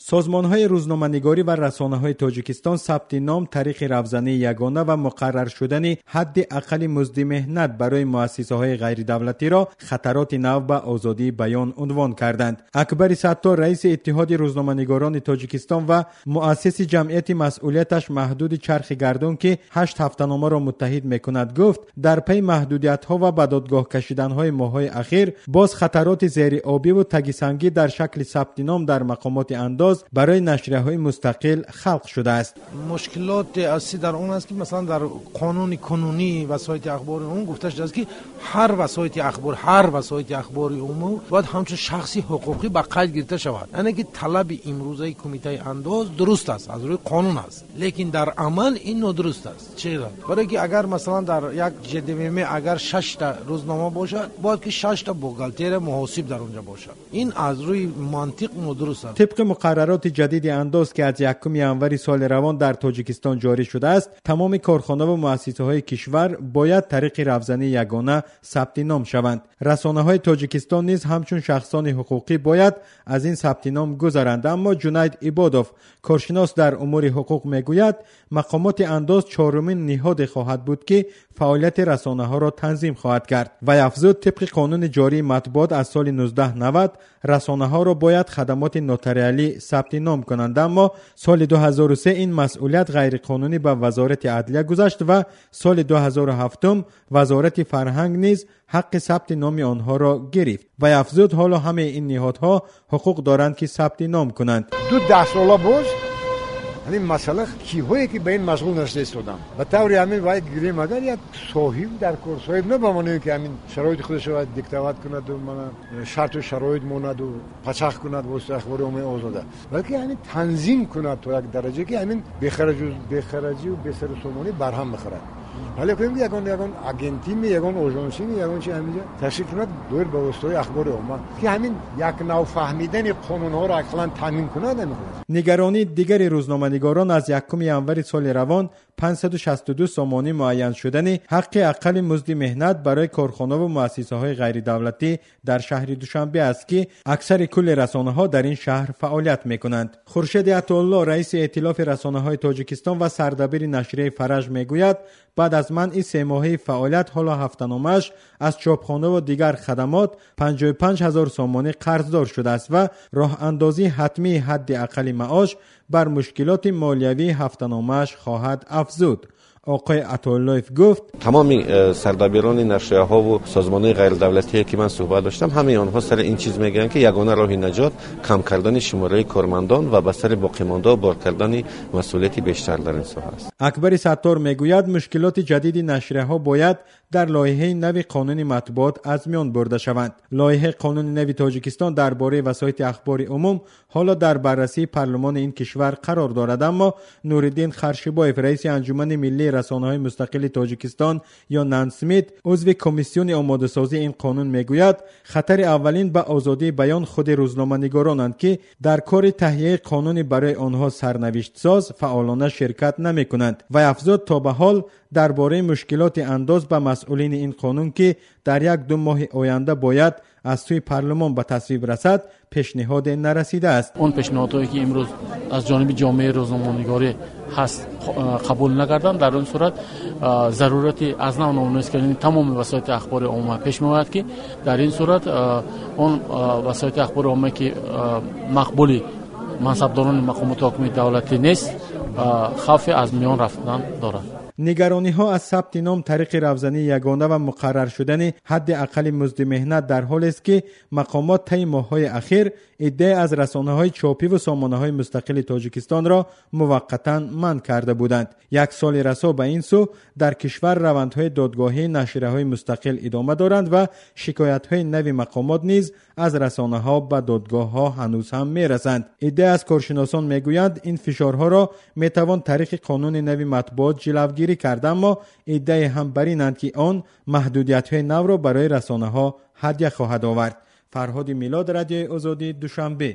Созмонҳои рӯзноманигорӣ ва расонаҳои Тоҷикистон сабти ном тариқи равзании ягона ва муқаррар шудани ҳадди аққали музди меҳнат барои муассисаҳои ғайридавлатиро хатароти нав ба озодии баён унвон карданд. Акбари Саттор, раиси Иттиҳоди рӯзноманигорони Тоҷикистон ва муассиси ҷамъияти масъулияташ маҳдуди Чархи гардун, ки 8 ҳафтаномаро муттаҳид мекунад, гуфт дар пайи маҳдудиятҳо ва ба додгоҳ кашиданҳои моҳҳои ахир боз хатароти зериобиву тагисангӣ дар шакли сабти ном дар мақомоти андоз барои нашрияҳои мустақил халқ шудааст. Мушкилоти асосӣ дар он аст, ки масалан дар қонуни кунунии васоити ахбори умум гуфта шудааст, ки ҳар васоити ахбори умум бояд ҳамчун шахси ҳуқуқӣ ба қайд гирифта шавад. Яъне ки талаби имрӯзаи кумитаи андоз дуруст аст, аз рӯи қонун аст, лекин дар амал ин нодуруст аст. Чаро? Барои ки агар масалан дар як ЖДМ агар 6 та рӯзнома бошад, бояд ки 6 та бухгалтерия муҳосиб дар онҷо бошад. Ин аз рӯи мантиқ нодуруст аст. Тибқи муқаррароти ҷадиди андоз, ки аз 1 январи соли равон дар Тоҷикистон ҷорӣ шудааст, тамоми корхонаву муассисаҳои кишвар бояд тариқи равзании ягона сабти ном шаванд. Расонаҳои Тоҷикистон низ ҳамчун шахсони ҳуқуқӣ бояд аз ин сабти ном гузаранд. Аммо Ҷунайд Ибодов, коршинос дар умури ҳуқуқ, мегӯяд мақомоти андоз чорумин ниҳоде хоҳад буд, ки фаъолияти расонаҳоро танзим хоҳад кард. Вай афзуд, тибқи қонуни ҷории матбуот аз соли 1990 расонаҳоро бояд хадамоти нотариалӣ сабти ном кунанд, аммо соли 2003 ин масъулият ғайриқонунӣ ба Вазорати адлия гузашт ва соли 2007 Вазорати фарҳанг низ ҳаққи сабти номи онҳоро гирифт. Вай афзуд, ҳоло ҳамаи ин ниҳодҳо ҳуқуқ доранд, ки сабти ном кунанд. 2 сола боз ҳамин масъала киҳое ки ба ин машғул нашуда истоданд, ба таври ҳамин вай гирем, агар як соҳиб дар кор, соҳиб на ба маъное ки ҳамин шароити худашро бояд диктоват кунаду мана шарту шароит монаду пачах кунад воситаи ахбори оммаи озода, балки ҳамин танзим кунад то як дараҷа, ки ҳамин бехараҷию бесарусомонӣ барҳам бихӯрад. Вале кунем, ки ягон агентими, ягон ожонсими, ягон чи ҳаминҷо ташкил кунад доир ба воситаҳои ахбори омма, ки ҳамин як нав фаҳмидани қонунҳоро ақаллан таъмин кунад. Нигаронии дигари рӯзноманигорон аз 1 январи соли равон 562 сомонӣ муайян шудани ҳаққи аққали музди меҳнат барои корхонаву муассисаҳои ғайридавлатӣ дар шаҳри Душанбе аст, ки аксари кулли расонаҳо дар ин шаҳр фаъолият мекунанд. Хуршеди Атоулло, раиси Эътилофи расонаҳои Тоҷикистон ва сардабири нашрияи Фараҷ, мегӯяд баъд аз манъи семоҳаи фаъолият ҳоло ҳафтаномааш аз чопхонаву дигар хадамот 55 ҳазор сомонӣ қарздор шудааст ва роҳандозии ҳатмии ҳадди аққали маош бар мушкилоти молиявии ҳафтаномааш хоҳад афзуд. Оқои Атоуллоев гуфт: тамоми сардабирони нашрияҳову созмонҳои ғайридавлатие ки ман суҳбат доштам, ҳамаи онҳо сари ин чиз мегӯянд, ки ягона роҳи наҷот кам кардани шумораи кормандон ва ба сари боқимондао бор кардани масъулияти бештар дар ин соҳа аст. Акбари Саттор мегӯяд мушкилоти ҷадиди нашрияҳо бояд дар лоиҳаи нави қонуни матбуот аз миён бурда шаванд. Лоиҳаи қонуни нави Тоҷикистон дар бораи васоити ахбори умум ҳоло дар баррасии парлумони ин кишвар қарор дорад, аммо Нуриддин Харшибоев, раиси Анҷумани миллии расонаҳои мустақили Тоҷикистон ё Нансмит, узви комиссиони омодасозии ин қонун, мегӯяд хатари аввалин ба озодии баён худи рӯзноманигоронанд, ки дар кори таҳияи қонуни барои онҳо сарнавиштсоз фаъолона ширкат намекунанд. Вай афзуд, то ба ҳол дар бораи мушкилоти андоз ба масъулини ин қонун, ки дар 1-2 моҳи оянда бояд аз сӯи парлумон ба тасвиб расад, пешниҳоде нарасидааст. Он пешниҳодҳое ки имрӯз аз ҷониби ҷомеаи рӯзноманигорӣ ҳаст, қабул накарданд, дар он сурат зарурати аз нав номнавис кардани тамоми васоити ахбори омма пеш меояд, ки дар ин сурат он васоити ахбори омма, ки мақбули мансабдорони мақомоти ҳокимияти давлатӣ нест, хавфи аз миён рафтан дорад. Нигарониҳо аз сабти ном тариқи равзании ягона ва муқаррар шудани ҳадди аққали музди меҳнат дар ҳолест, ки мақомот таи моҳҳои ахир иддаи аз расонаҳои чопиву сомонаҳои мустақили Тоҷикистонро муваққатан манъ карда буданд. Як соли расо ба ин сӯ дар кишвар равандҳои додгоҳии нашрияҳои мустақил идома доранд ва шикоятҳои нави мақомот низ аз расонаҳо ба додгоҳҳо ҳанӯз ҳам мерасанд. Иддаи аз коршиносон мегӯянд, ин фишорҳоро метавон тариқи қонуни нави матбуот ҷилавгирӣ кард, аммо иддаи ҳам бар инанд, ки он маҳдудиятҳои навро барои расонаҳо ҳадя хоҳад овард. Фарҳоди Милод, Радиои Озодӣ, Душанбе.